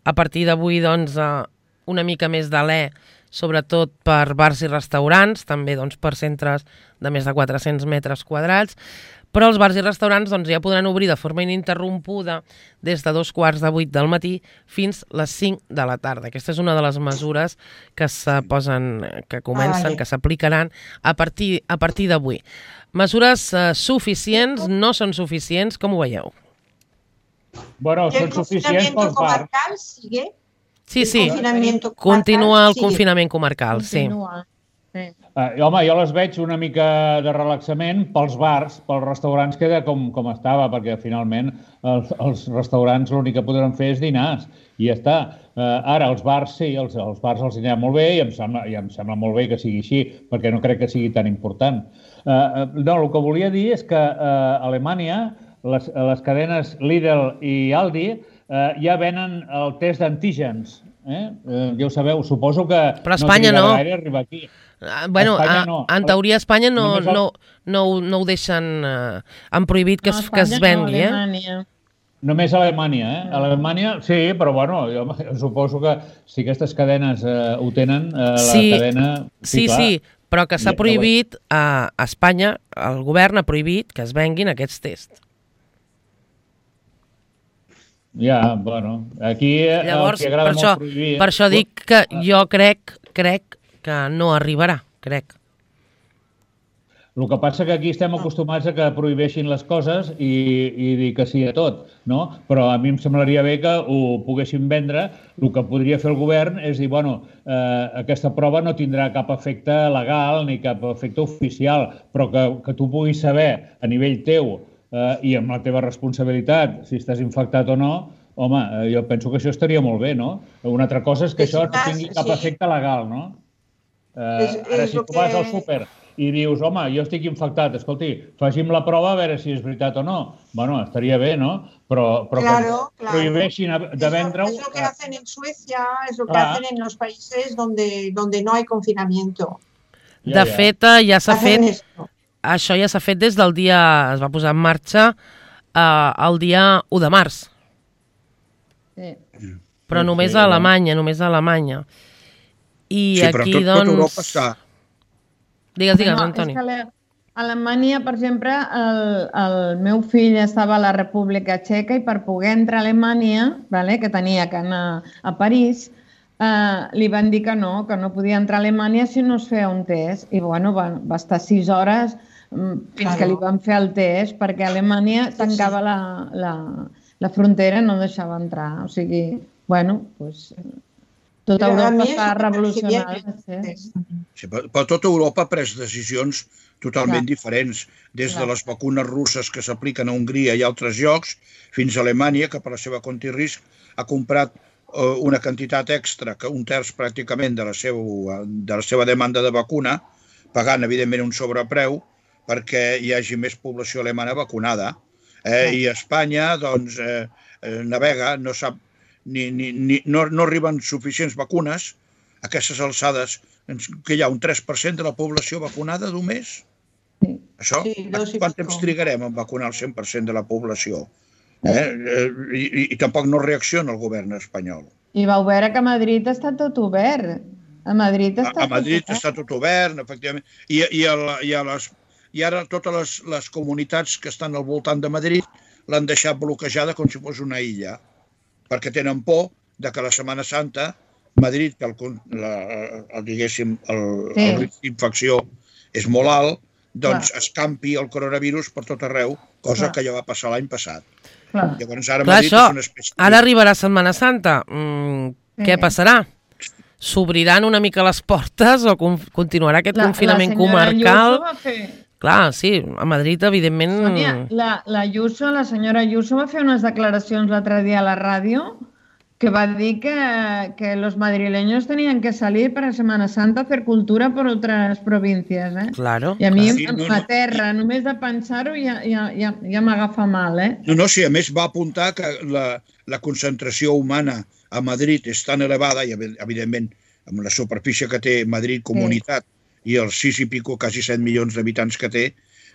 Speaker 1: A partir d'avui, doncs, uh, una mica més d'alè, sobretot per bars i restaurants, també doncs, per centres de més de quatre-cents metres quadrats, però els bars i restaurants doncs, ja podran obrir de forma ininterrompuda des de dos quarts de vuit del matí fins les cinc de la tarda. Aquesta és una de les mesures que se posen, que comencen,
Speaker 2: Vale.
Speaker 1: que s'aplicaran a partir, a partir d'avui. Mesures eh, suficients, no són suficients, com ho veieu?
Speaker 5: Bueno,
Speaker 2: ¿Y el
Speaker 5: són suficients
Speaker 2: confinamiento
Speaker 5: pels bars.
Speaker 2: comarcal sigue?
Speaker 1: Sí,
Speaker 2: El
Speaker 1: sí,
Speaker 2: confinamiento
Speaker 1: continua el
Speaker 2: comarcal sigue.
Speaker 1: confinament comarcal, sí.
Speaker 4: Continua. Sí.
Speaker 5: Eh, home, jo les veig una mica de relaxament pels bars, pels restaurants queda com, com estava, perquè finalment els, els restaurants l'únic que podran fer és dinars i ja està. Eh, ara, els bars sí, els, els bars els anirà molt bé i em, sembla, i em sembla molt bé que sigui així, perquè no crec que sigui tan important. Eh, eh, no, el que volia dir és que eh, a Alemanya les, les cadenes Lidl i Aldi eh, ja venen el test d'antígens. Eh? Eh, ja ho sabeu, suposo que
Speaker 1: Però a Espanya
Speaker 5: no
Speaker 1: no.
Speaker 5: trigarà gaire a arribar aquí.
Speaker 1: Ah, Bueno,
Speaker 5: A Espanya
Speaker 1: a,
Speaker 5: no.
Speaker 1: en teoria a Espanya no,
Speaker 5: Només el-
Speaker 1: no, no, ho- no ho deixen... Eh, han prohibit que,
Speaker 4: No,
Speaker 1: es, que es
Speaker 4: Espanya no,
Speaker 1: vengui, eh?
Speaker 4: Alemanya.
Speaker 5: Només a Alemanya, eh? A Alemanya, sí, però bueno, jo, jo suposo que si aquestes cadenes eh, ho tenen, eh, la
Speaker 1: Sí,
Speaker 5: cadena...
Speaker 1: Sí,
Speaker 5: clar.
Speaker 1: sí, però que s'ha
Speaker 5: Ja- ja ho
Speaker 1: prohibit, a, a Espanya, el govern ha prohibit que es venguin aquests tests.
Speaker 5: Ja, bueno, aquí eh,
Speaker 1: Llavors,
Speaker 5: els que agrada
Speaker 1: per això,
Speaker 5: molt prohibir...
Speaker 1: per això dic que jo crec, crec que no arribarà, crec.
Speaker 5: El que passa que aquí estem acostumats a que prohibeixin les coses i, i dir que sí a tot, no? Però a mi em semblaria bé que ho poguessin vendre. El que podria fer el govern és dir, bueno, eh, aquesta prova no tindrà cap efecte legal ni cap efecte oficial, però que, que tu puguis saber a nivell teu eh, i amb la teva responsabilitat si estàs infectat o no, home, eh, jo penso que això estaria molt bé, no? Una altra cosa és que
Speaker 2: Sí,
Speaker 5: això no
Speaker 2: sí,
Speaker 5: tingui cap
Speaker 2: sí.
Speaker 5: efecte legal, no? Eh,
Speaker 2: És-
Speaker 5: ara,
Speaker 2: és
Speaker 5: si
Speaker 2: el
Speaker 5: tu vas
Speaker 2: que-
Speaker 5: al súper i dius, home, jo estic infectat, escolti, faci'm la prova a veure si és veritat o no. Bueno, estaria bé, no? Però, però
Speaker 2: Claro,
Speaker 5: que
Speaker 2: claro.
Speaker 5: prohibeixin de
Speaker 2: Es lo-
Speaker 5: vendre-ho...
Speaker 2: Es lo que hacen en Suecia, es lo que
Speaker 5: Clar.
Speaker 2: hacen en los países donde, donde no hay confinamiento.
Speaker 1: De fet, eh, ja s'ha
Speaker 2: Hacen
Speaker 1: fet,
Speaker 2: esto.
Speaker 1: això ja s'ha fet des del dia, es va posar en marxa eh, el dia u de març,
Speaker 4: Sí.
Speaker 1: però
Speaker 5: Sí,
Speaker 1: només
Speaker 5: sí,
Speaker 1: a
Speaker 5: no?
Speaker 1: Alemanya, només a Alemanya. I
Speaker 3: Sí, però
Speaker 1: aquí,
Speaker 3: tot, tot
Speaker 1: doncs...
Speaker 3: Europa està...
Speaker 1: Digues, digues,
Speaker 4: No,
Speaker 1: Antoni.
Speaker 4: és que a Alemanya, per exemple, el, el meu fill estava a la República Txeca i per poder entrar a Alemanya, vale, que tenia que anar a París, eh, li van dir que no, que no podia entrar a Alemanya si no es feia un test. I bueno, va, va estar sis hores mm, fins
Speaker 2: Claro.
Speaker 4: que li van fer el test, perquè Alemanya tancava la, la, la frontera i no deixava entrar. O sigui, bueno, pues, Tota
Speaker 2: Però a
Speaker 4: Europa
Speaker 2: mi
Speaker 4: està
Speaker 2: això
Speaker 4: revolucionada.
Speaker 2: m'agradaria
Speaker 4: Sí.
Speaker 3: Sí, però però tota Europa ha pres decisions totalment
Speaker 4: Clar.
Speaker 3: diferents, des de
Speaker 4: Clar.
Speaker 3: les vacunes russes que s'apliquen a Hongria i altres llocs, fins a Alemanya, que per la seva compte i risc ha comprat eh, una quantitat extra, que un terç pràcticament de la, seu, de la seva demanda de vacuna, pagant, evidentment, un sobrepreu perquè hi hagi més població alemana vacunada. Eh? I Espanya, doncs, eh, eh, navega, no sap, ni, ni, ni, no, no arriben suficients vacunes a aquestes alçades, que hi ha un tres per cent de la població vacunada d'un mes.
Speaker 4: Sí.
Speaker 3: Això?
Speaker 2: Sí, dos i
Speaker 3: Quant
Speaker 2: pico.
Speaker 3: temps trigarem a vacunar el cent per cent de la població? Eh? Eh, I, i, I tampoc no reacciona el govern espanyol.
Speaker 4: I vau veure que a Madrid està tot obert. A Madrid
Speaker 3: A,
Speaker 4: està
Speaker 3: a Madrid
Speaker 4: tot obert.
Speaker 3: està tot obert, efectivament, i, i, a la, i, a les, i ara totes les, les comunitats que estan al voltant de Madrid l'han deixat bloquejada com si fos una illa, perquè tenen por de que la Setmana Santa Madrid, que el, la, el, diguéssim, el, sí. el risc d'infecció és molt alt, doncs Clar. escampi el coronavirus per tot arreu, cosa Clar. que ja va passar l'any passat.
Speaker 4: Clar.
Speaker 3: Llavors ara
Speaker 1: Clar,
Speaker 3: Madrid
Speaker 1: això,
Speaker 3: és una espècie...
Speaker 1: Ara arribarà Setmana Santa. Mm, sí. Què passarà? S'obriran una mica les portes o con continuarà aquest la, confinament
Speaker 4: la
Speaker 1: comarcal?
Speaker 4: Va fer...
Speaker 1: Clar, sí, a Madrid, evidentment...
Speaker 4: Sònia, la, la Ayuso, la senyora Ayuso va fer unes declaracions l'altre dia a la ràdio que va dir que, que los madrileños tenían que salir para Semana Santa a hacer cultura por otras provincias, eh?
Speaker 1: Claro.
Speaker 4: I a mi
Speaker 3: sí, no,
Speaker 4: m'aterra, no. només de pensar-ho ja, ja, ja, ja m'agafa mal, eh?
Speaker 3: No, no, sí, a més va apuntar que la, la concentració humana a Madrid és tan elevada, i evidentment amb la superfície que té Madrid comunitat sí. i els sis i pico, quasi set milions d'habitants que té,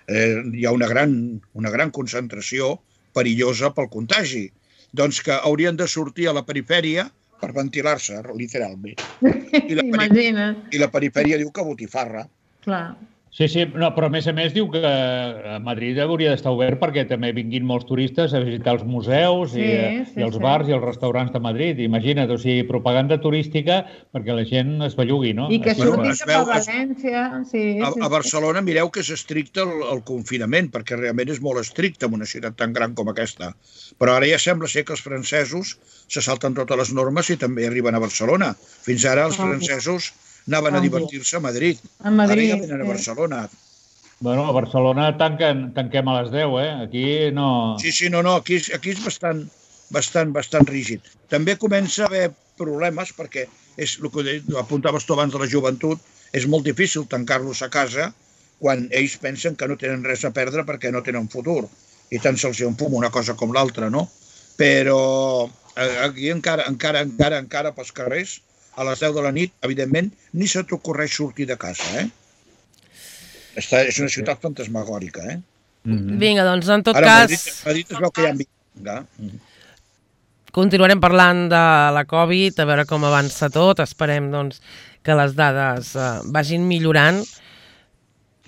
Speaker 3: eh, hi ha una gran, una gran concentració perillosa pel contagi. Doncs que haurien de sortir a la perifèria per ventilar-se, literalment. I la,
Speaker 4: Imagina't.
Speaker 3: I la perifèria diu que botifarra.
Speaker 4: Clar.
Speaker 5: Sí, sí, no, però a més a més diu que a Madrid hauria d'estar obert perquè també vinguin molts turistes a visitar els museus
Speaker 4: sí,
Speaker 5: i,
Speaker 4: sí,
Speaker 5: i els
Speaker 4: sí.
Speaker 5: bars i els restaurants de Madrid. Imagina't, o sigui, propaganda turística perquè la gent es bellugui, no?
Speaker 4: I que
Speaker 5: Així
Speaker 4: surti
Speaker 3: es
Speaker 4: cap
Speaker 3: veu,
Speaker 4: a València. Sí,
Speaker 3: A,
Speaker 4: sí,
Speaker 3: a Barcelona mireu que és estricte el, el confinament, perquè realment és molt estricte en una ciutat tan gran com aquesta. Però ara ja sembla ser que els francesos se salten totes les normes i també arriben a Barcelona. Fins ara els francesos anaven a divertir-se a Madrid.
Speaker 4: A Madrid,
Speaker 3: Ara ja venen a
Speaker 4: sí.
Speaker 3: Barcelona.
Speaker 5: Bueno, a Barcelona tanquen, tanquem a les deu, eh? Aquí no...
Speaker 3: Sí, sí, no, no, aquí, aquí és bastant, bastant, bastant rígid. També comença a haver problemes perquè és el que apuntaves tu abans de la joventut, és molt difícil tancar-los a casa quan ells pensen que no tenen res a perdre perquè no tenen futur. I tant se'ls enfuma una cosa com l'altra, no? Però aquí encara, encara, encara, encara pels carrers, a les deu de la nit, evidentment, ni se t'ocorreix sortir de casa, eh? Està, és una ciutat fantasmagòrica, eh?
Speaker 1: Mm-hmm. Vinga, doncs, en tot
Speaker 3: Ara,
Speaker 1: cas...
Speaker 3: Madrid, Madrid es veu que hi ha... Vinga.
Speaker 1: Continuarem parlant de la Covid, a veure com avança tot. Esperem, doncs, que les dades eh, vagin millorant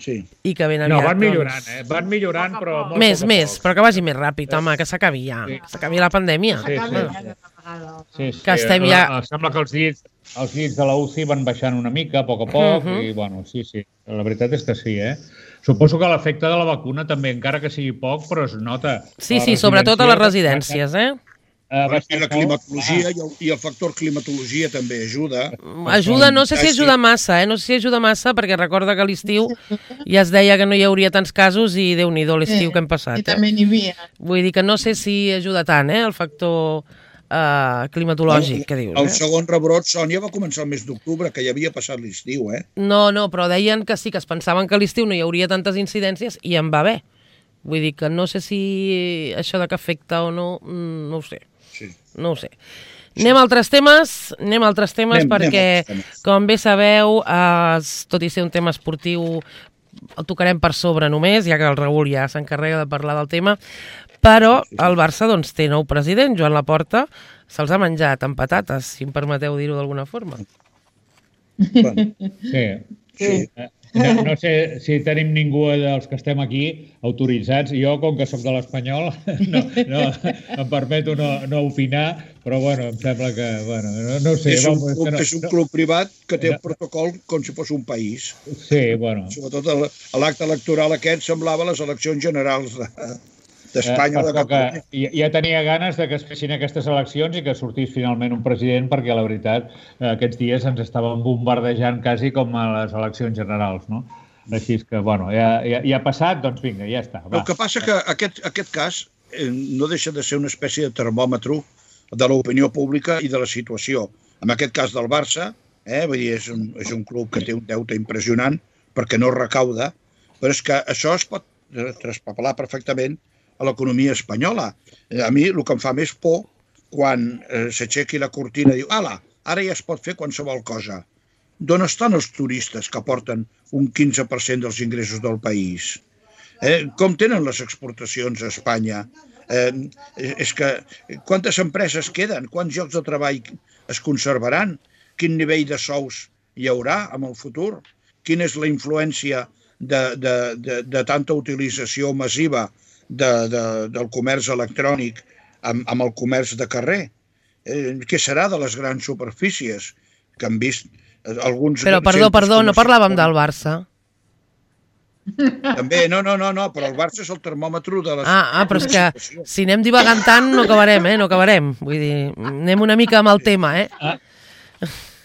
Speaker 3: sí.
Speaker 1: i que ben aviat...
Speaker 5: No, van millorant,
Speaker 1: doncs...
Speaker 5: eh? Van millorant, però... Molt
Speaker 1: Més,
Speaker 5: poc a
Speaker 1: més,
Speaker 5: poc.
Speaker 1: però que vagi més ràpid, home, que s'acabi ja.
Speaker 5: Sí.
Speaker 1: Que s'acabi la pandèmia.
Speaker 5: Sí, sí, sí. Sí, sí.
Speaker 1: Que estem ja...
Speaker 5: Sembla que els llits, els llits de la U C I van baixant una mica, a poc a poc,
Speaker 1: Uh-huh.
Speaker 5: i bueno, sí, sí, la veritat és que sí, eh? Suposo que l'efecte de la vacuna també, encara que sigui poc, però es nota.
Speaker 1: Sí, sí, sobretot a les residències, eh?
Speaker 5: Uh,
Speaker 3: I la climatologia i el, i el factor climatologia també ajuda.
Speaker 1: Ajuda, no sé si ajuda massa, eh? No sé si ajuda massa, perquè recorda que a l'estiu ja es deia que no hi hauria tants casos i Déu-n'hi-do l'estiu que hem passat.
Speaker 4: I també n'hi havia.
Speaker 1: Vull dir que no sé si ajuda tant, eh? El factor uh, climatològic,
Speaker 3: el,
Speaker 1: que dius.
Speaker 3: El
Speaker 1: eh?
Speaker 3: segon rebrot, Sònia, va començar el mes d'octubre, que ja havia passat l'estiu, eh?
Speaker 1: No, no, però deien que sí, que es pensaven que a l'estiu no hi hauria tantes incidències i en va haver. Vull dir que no sé si això de que afecta o no, no ho sé.
Speaker 3: Sí.
Speaker 1: No ho sé. Sí. Anem a altres temes, anem a altres temes
Speaker 3: anem,
Speaker 1: perquè,
Speaker 3: anem temes.
Speaker 1: com bé sabeu, eh, tot i ser un tema esportiu, el tocarem per sobre només, ja que el Raül ja s'encarrega de parlar del tema, però sí, sí. el Barça doncs, té nou president, Joan Laporta, se'ls ha menjat amb patates, si em permeteu dir-ho d'alguna forma.
Speaker 3: Bueno,
Speaker 5: sí.
Speaker 3: sí.
Speaker 5: No, no sé si tenim ningú dels que estem aquí autoritzats. Jo, com que sóc de l'Espanyol, no, no, em permeto no, no opinar, però bueno, em sembla que... Bueno, no, no ho sé.
Speaker 3: És un,
Speaker 5: vamos,
Speaker 3: club,
Speaker 5: no,
Speaker 3: és un club privat que té un protocol com si fos un país.
Speaker 5: Sí, bueno.
Speaker 3: Sobretot l'acte electoral aquest semblava les eleccions generals de, d'Espanya o de Catalunya.
Speaker 5: Ja, ja tenia ganes de que es fessin aquestes eleccions i que sortís finalment un president, perquè la veritat aquests dies ens estaven bombardejant quasi com a les eleccions generals, no? Així que, bueno, ja, ja, ja ha passat, doncs vinga, ja està. Va.
Speaker 3: El que passa que aquest, aquest cas eh, no deixa de ser una espècie de termòmetre de l'opinió pública i de la situació. En aquest cas del Barça, eh, vull dir, és, un, és un club que té un deute impressionant perquè no recauda, però és que això es pot traspapelar perfectament a l'economia espanyola. A mi el que em fa més por quan eh, s'aixequi la cortina i diu ala, ara ja es pot fer qualsevol cosa. D'on estan els turistes que aporten un quinze per cent dels ingressos del país? Eh, com tenen les exportacions a Espanya? Eh, és que quantes empreses queden? Quants llocs de treball es conservaran? Quin nivell de sous hi haurà en el futur? Quina és la influència de, de, de, de tanta utilització massiva de, de, del comerç electrònic amb, amb el comerç de carrer? Eh, què serà de les grans superfícies que han vist alguns...
Speaker 1: Però, perdó, perdó, no parlàvem del Barça.
Speaker 3: També, no, no, no, no, però el Barça és el termòmetre de la...
Speaker 1: Ah, ah, però és que si anem divagant tant no acabarem, eh, no acabarem. Vull dir, anem una mica amb el tema, eh?
Speaker 5: Ah,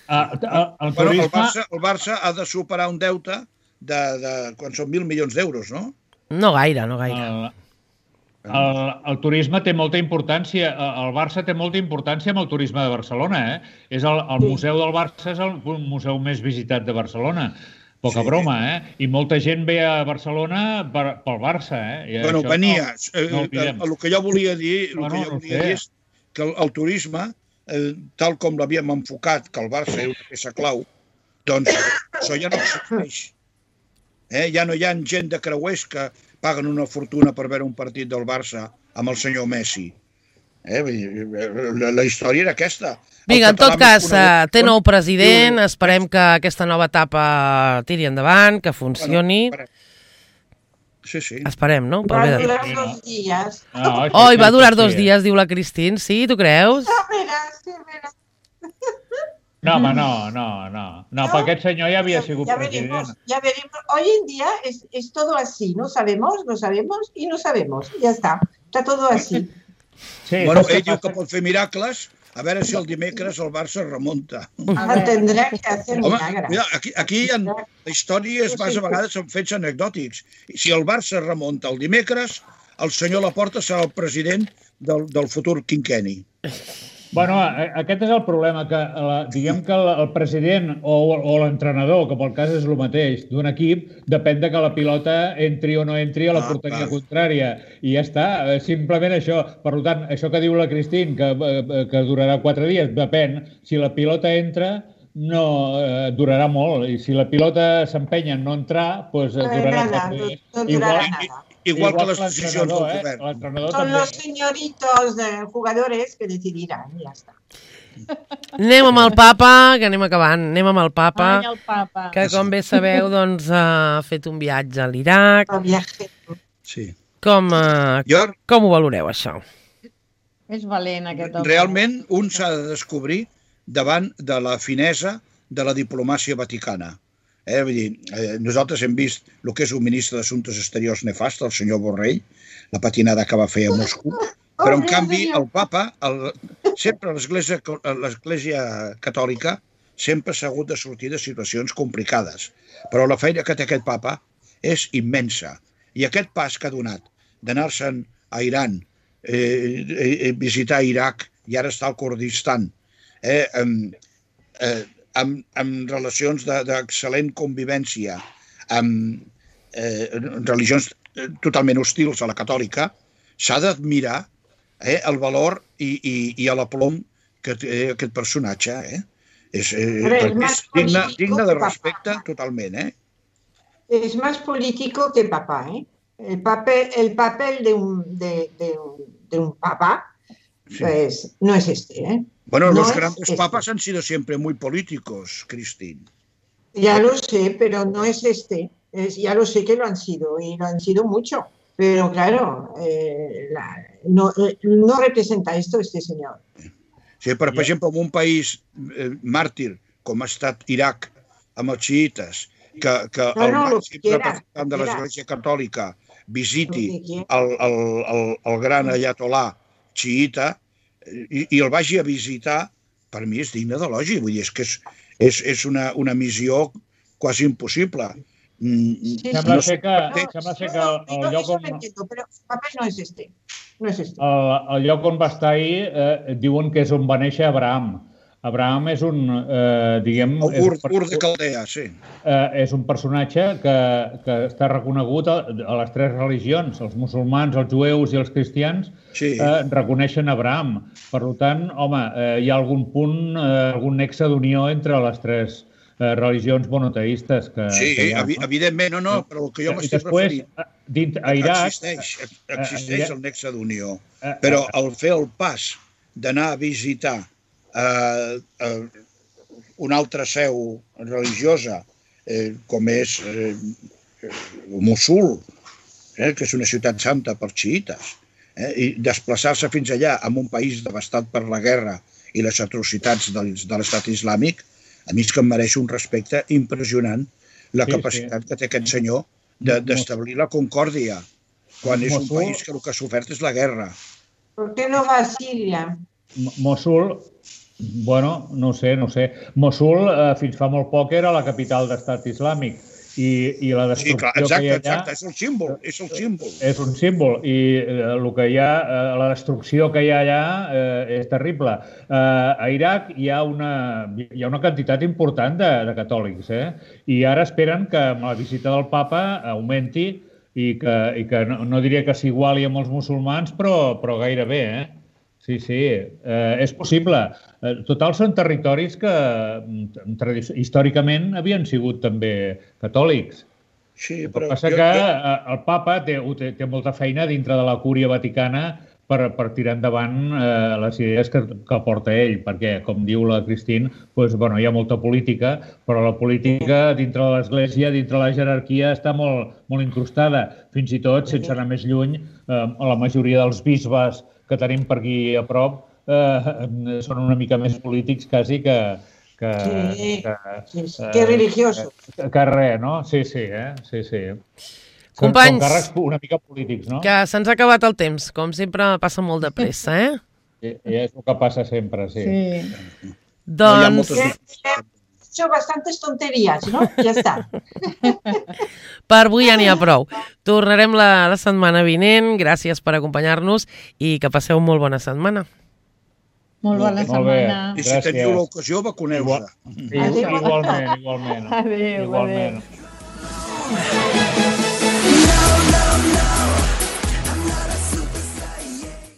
Speaker 5: ah, el,
Speaker 3: bueno,
Speaker 5: turisme...
Speaker 3: el, Barça, el Barça ha de superar un deute de, de quan són mil milions d'euros, no?
Speaker 1: No gaire, no gaire.
Speaker 5: El, el, el turisme té molta importància, el Barça té molta importància amb el turisme de Barcelona, eh? És el, el museu del Barça és el museu més visitat de Barcelona. Poca sí. broma, eh? I molta gent ve a Barcelona per, pel Barça, eh? I
Speaker 3: bueno, venia.
Speaker 5: No, no
Speaker 3: el, el que jo volia dir, el
Speaker 5: no,
Speaker 3: que
Speaker 5: no,
Speaker 3: jo
Speaker 5: no
Speaker 3: volia
Speaker 5: sé.
Speaker 3: dir és que el, el turisme, eh, tal com l'havíem enfocat, que el Barça és una peça clau, doncs això ja no existeix. Eh? Ja no hi ha gent de creuers que paguen una fortuna per veure un partit del Barça amb el senyor Messi. Eh? La, la història era aquesta.
Speaker 1: Vinga, en tot cas, té nou president, esperem que aquesta nova etapa tiri endavant, que funcioni.
Speaker 3: Sí, sí.
Speaker 1: Esperem, no?
Speaker 2: Va durar dos dies.
Speaker 1: Oh, va durar dos dies, diu la Cristín. Sí, tu creus?
Speaker 2: A veure, sí, a veure.
Speaker 5: No, home, no, no, no. No, per aquest senyor ja havia sigut
Speaker 2: ya
Speaker 5: president.
Speaker 2: Veremos, ya veremos. Hoy en día es, es todo así, no sabemos, no sabemos y no sabemos. Ya está, está todo así.
Speaker 5: Sí,
Speaker 3: bueno, ell diu que pot fer miracles, a veure si el dimecres el Barça remunta.
Speaker 2: Ah, tendrà que hacer milagres.
Speaker 3: Mira, aquí, aquí hi ha, la història es basa a vegades en fets anecdòtics. Si el Barça remunta el dimecres, el senyor Laporta serà el president del, del futur quinquenni.
Speaker 5: Bueno, aquest és el problema, que la, diguem que el, el president o, o l'entrenador, que pel cas és el mateix, d'un equip, depèn de que la pilota entri o no entri a la ah, porteria clar. contrària. I ja està, simplement això. Per tant, això que diu la Cristín, que, que durarà quatre dies, depèn. Si la pilota entra, no eh, durarà molt. I si la pilota s'empenya en no entrar, doncs eh, durarà
Speaker 2: nada,
Speaker 3: quatre
Speaker 2: dies. No, no durarà Igual, nada.
Speaker 3: Igual, igual que les decisions del govern.
Speaker 5: Eh?
Speaker 2: Son també. Los señoritos de jugadores que decidiran, i ja està.
Speaker 1: Anem amb el papa, que anem acabant. Anem amb el papa,
Speaker 4: Ai, el papa.
Speaker 1: que com bé sabeu, doncs, ha fet un viatge a l'Iraq.
Speaker 2: El viatge.
Speaker 3: Sí.
Speaker 1: Com, uh,
Speaker 3: jo...
Speaker 1: com ho valoreu, això?
Speaker 4: És valent, aquest home.
Speaker 3: Realment, un s'ha de descobrir davant de la finesa de la diplomàcia vaticana. Eh, vull dir, eh, nosaltres hem vist el que és un ministre d'Assumptes Exteriors nefast, el senyor Borrell, la patinada que va fer a Moscou, però en canvi el papa, el, sempre l'Església Catòlica sempre s'ha hagut de sortir de situacions complicades, però la feina que té aquest papa és immensa, i aquest pas que ha donat d'anar-se'n a Iran, eh, eh, visitar Iraq i ara està al Kurdistan, eh, eh, amb, amb relacions d'excel·lent convivència, amb eh, religions totalment hostils a la catòlica, s'ha d'admirar eh, el valor i, i, i l'aplom que té aquest personatge. Eh? És, eh, és digne, digne de respecte totalment. Eh?
Speaker 2: És més polític que papá. Eh? El, papel, el papel de un, de, de, de un papa sí. pues, no es este. ¿eh?
Speaker 3: Bueno,
Speaker 2: no
Speaker 3: los grandes este. papas han sido siempre muy políticos, Cristín.
Speaker 2: Ya lo sé, pero no es este. Es, ya lo sé que lo han sido, y lo han sido mucho. Pero claro, eh, la, no, eh, no representa esto este señor.
Speaker 3: Sí, però, per exemple, en un país eh, màrtir, com ha estat Iraq, amb els xiites, que, que
Speaker 2: no,
Speaker 3: el
Speaker 2: no,
Speaker 3: màxim representant de l'Església Catòlica visiti el, el, el, el gran ayatolà xiita i, i el vagi a visitar, per mi és digne d'elogi. Vull dir, és que és, és, és una, una missió quasi impossible.
Speaker 5: Sí, sembla no ser que, no, sembla ser que el, el lloc on...
Speaker 2: Però el paper no és este. No és este.
Speaker 5: El, el lloc on va estar ahir eh, diuen que és on va néixer Abraham. Abraham és un, eh, diguem...
Speaker 3: Ur, Ur de Caldea, sí.
Speaker 5: Eh, és un personatge que, que està reconegut a, a les tres religions. Els musulmans, els jueus i els cristians sí. eh, reconeixen Abraham. Per tant, home, eh, hi ha algun punt, eh, algun nexe d'unió entre les tres religions monoteistes que,
Speaker 3: sí,
Speaker 5: que hi ha.
Speaker 3: Sí, evidentment, no, no, però el que jo m'estic referint...
Speaker 5: Dins, a Iraq...
Speaker 3: Existeix, existeix el nexe d'unió, però el fer el pas d'anar a visitar eh, eh, una altra seu religiosa, eh, com és eh, Mossul, eh, que és una ciutat santa per xiïtes, eh, i desplaçar-se fins allà en un país devastat per la guerra i les atrocitats de, de l'estat islàmic, a mi és que em mereix un respecte impressionant la sí, capacitat sí. que té aquest senyor d'establir la concòrdia, quan és Mossul, un país que el que ha sofert és la guerra.
Speaker 2: Per què no va a Síria?
Speaker 5: Mossul, bueno, no sé, no sé. Mossul eh, fins fa molt poc era la capital d'estat islàmic i, i la destrucció sí, clar,
Speaker 3: exacte,
Speaker 5: que hi ha allà...
Speaker 3: Exacte, és el símbol, és el símbol.
Speaker 5: És un símbol i eh, el que hi ha, eh, la destrucció que hi ha allà eh, és terrible. Eh, a Iraq hi ha una, hi ha una quantitat important de, de catòlics, eh? I ara esperen que amb la visita del papa augmenti i que, i que no, no diria que s'iguali amb els musulmans, però, però gairebé, eh? Sí, sí, eh, és possible. Eh, total, són territoris que històricament havien sigut també catòlics.
Speaker 3: Sí,
Speaker 5: però... El que passa jo, que jo... el papa té, té, té molta feina dintre de la cúria vaticana per, per tirar endavant eh, les idees que, que porta ell, perquè, com diu la Christine, doncs, bueno, hi ha molta política, però la política dintre de l'Església, dintre de la jerarquia, està molt, molt incrustada. Fins i tot, sense anar més lluny, eh, la majoria dels bisbes que tenim per aquí a prop eh, són una mica més polítics quasi que... que
Speaker 2: sí, que, sí, sí. Que religiosos.
Speaker 5: Que, que res, no? Sí, sí, eh? Sí, sí.
Speaker 1: Companys,
Speaker 5: són càrrecs una mica polítics, no?
Speaker 1: Que se'ns ha acabat el temps. Com sempre, passa molt de pressa, eh?
Speaker 5: I, i és el que passa sempre, sí.
Speaker 2: sí.
Speaker 1: Doncs...
Speaker 2: No hecho bastantes tonterías, ¿no? Ja està.
Speaker 1: Per avui ja n'hi ha prou. Tornarem la, la setmana vinent. Gràcies per acompanyar-nos i que passeu molt bona setmana.
Speaker 4: Molt bona setmana.
Speaker 3: I si teniu l'ocasió, vacuneu-se.
Speaker 5: Igualment, igualment.
Speaker 4: Adéu,
Speaker 5: igualment.
Speaker 4: adéu.